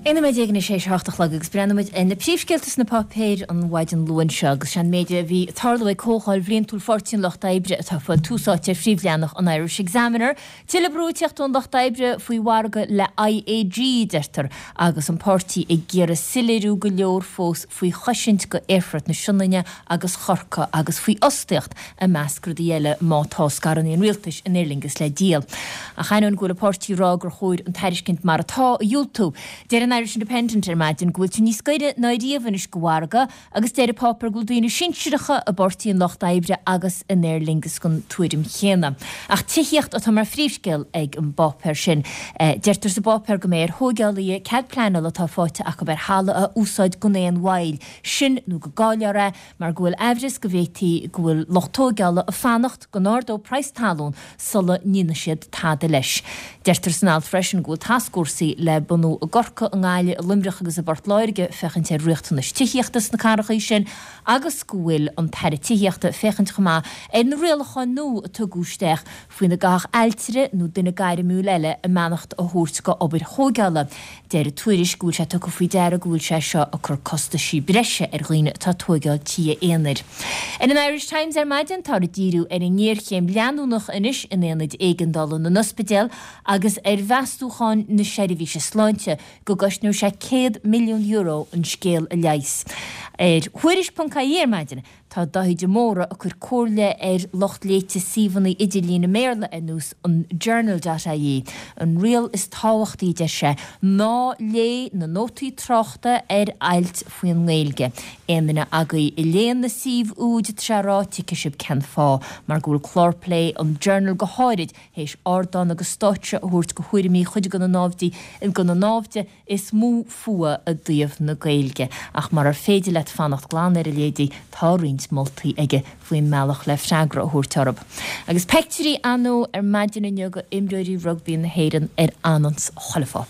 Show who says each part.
Speaker 1: 11 nóiméad anois théis a hocht a chlog agus breathnóidh muid ar na príomhscéalta sna páipéir an mhaidin Luain seo agus sé an méid a bhí ag tarlú ag Comhdháil Bhliantúil Pháirtí an Lucht Oibre atá ag fáil tús áite ar phríomhleathanach an Irish Examiner. Tuilleadh brú ag teacht ón Lucht Oibre faoi mhargadh le IAG, deirtear, agus an páirtí ag iarraidh soiléiriú go leor fós faoi chosaint go Aerfort na Sionainne agus Chorcaí agus faoi fhostaíocht, i measc rudaí eile, má tá scaireanna an rialtais in Aer Lingus le díol. Ach ainneoin go bhfuil an páirtí ag rá gur chóir an tairiscint mar atá a dhiúltú, deir an Irish Independent ar maidin go bhfuiltear níos gaire ná riamh anois go mhargadh Agus deir an páipéar go bhfuil daoine sinsearacha i bPáirtí an Lucht Oibre agus in Aer Lingus den tuairim chéanna. Ach tithíocht atá mar phríomhscéal ag an bpáipéar sin. Deirtear sa bpáipéar go mbeidh ar thóigeálaithe cead pleanála atá faighte acu ar thalamh a úsáid gan aon mhoill, sin nó go gcaillfear é mar go bhfuil aimhreas go bhféadfaí go bhfuil lucht tóigeála ag fanacht go n-ardóidh praghas talún sula ndéanfaidh siad tada leis. Deirtear san alt freisin go bhfuil tascfhórsaí le bunú i gCorcaigh, i nGaillimh, i Luimneach agus i bPort Láirge féachaint ar riachtanais tithíochta sna cathracha sin agus go bhfuil an tAire Tithíochta ag féachaint chomh maith ar na rialacháin nua a tugadh isteach faoina gcaithfeadh ailtire nó duine gairmiúil eile a mbeannacht a thabhairt go obair thóigeála. Deir an tuairisc go bhfuil sé tugtha faoi deara go bhfuil sé seo ag cur costaisí breise ar dhaoine atá ag tóigeáil tithe aonair. Ar an Irish Times ar maidin táthar ag díriú ar an ngéarchéim leanúnach anois in aonaid éigeandála na n-ospidéal agus ar mheastúcháin na seirbhíse sláinte go gcosnóidh sé €100 milliún an scéal a leigheas. Ar Thuairisc.ie ar maidin Tá Dáithí de Mórdha ag cur comhairle ar lucht léite suíomhanna idirlín i mBéarla ar nós an Journal dot ie. An riail is tábhachtaí, a deir sé, ná léigh na nótaí tráchta ar ailt faoin nGaeilge. Aon duine agaibh a léann na suímh úd, tá sé ag rá, tuigfidh sibh cén fáth, mar go bhfuil clár plé an Journal go háirid théis ardán agus stáitse a thabhairt go thuairimí chuid de na naimhde, de na naimhde is mó fuath i dtaobh na Gaeilge, ach murar féidir leat fanacht glan ar a leithéidí, tá roinnt moltaí aige faoin mbealach le freagra a thabhairt orthu. Agus peictiúirí ar ndóigh ar maidin inniu go imreoirí rugbaí na hÉireann ar anns chuile pháipéar.